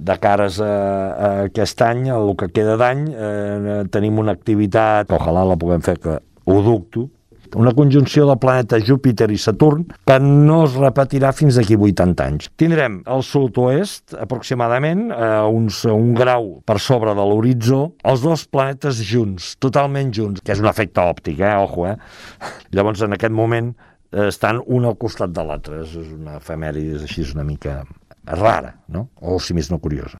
de cares a aquest any, el que queda d'any, tenim una activitat, ojalà la puguem fer, que ho dubto, una conjunció del planeta Júpiter i Saturn que no es repetirà fins d'aquí 80 anys. Tindrem al sud-oest, aproximadament, un grau per sobre de l'horitzó, els dos planetes junts, totalment junts, que és un efecte òptic, ojo, Llavors, en aquest moment, estan un al costat de l'altre. És una efemèride així una mica rara, no? O, si més no, curiosa.